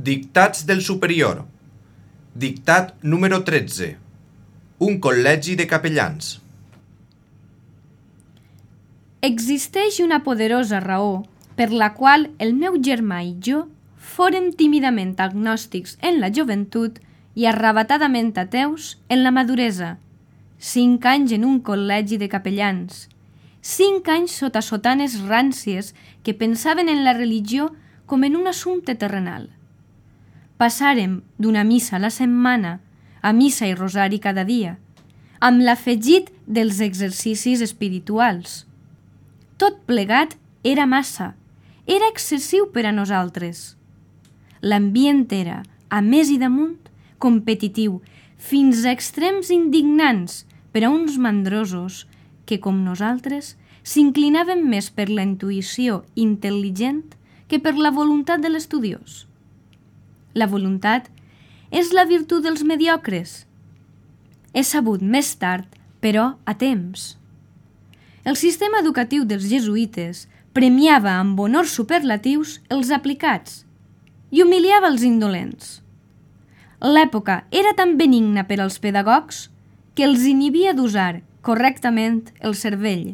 Dictats del superior. Dictat número 13. Un col·legi de capellans. Existeix una poderosa raó per la qual el meu germà i jo fórem tímidament agnòstics en la joventut i arrabatadament ateus en la maduresa. 5 anys en un col·legi de capellans. 5 anys sota sotanes ràncies que pensaven en la religió com en un assumpte terrenal. Passàrem d'una missa a la setmana a missa i rosari cada dia, amb l'afegit dels exercicis espirituals. Tot plegat era massa, era excessiu per a nosaltres. L'ambient era, a més i damunt, competitiu, fins a extrems indignants per a uns mandrosos que, com nosaltres, s'inclinaven més per la intuïció intel·ligent que per la voluntat de l'estudiós. La voluntat és la virtut dels mediocres. He sabut més tard, però a temps. El sistema educatiu dels jesuïtes premiava amb honors superlatius els aplicats i humiliava els indolents. L'època era tan benigna per als pedagogs que els inhibia d'usar correctament el cervell.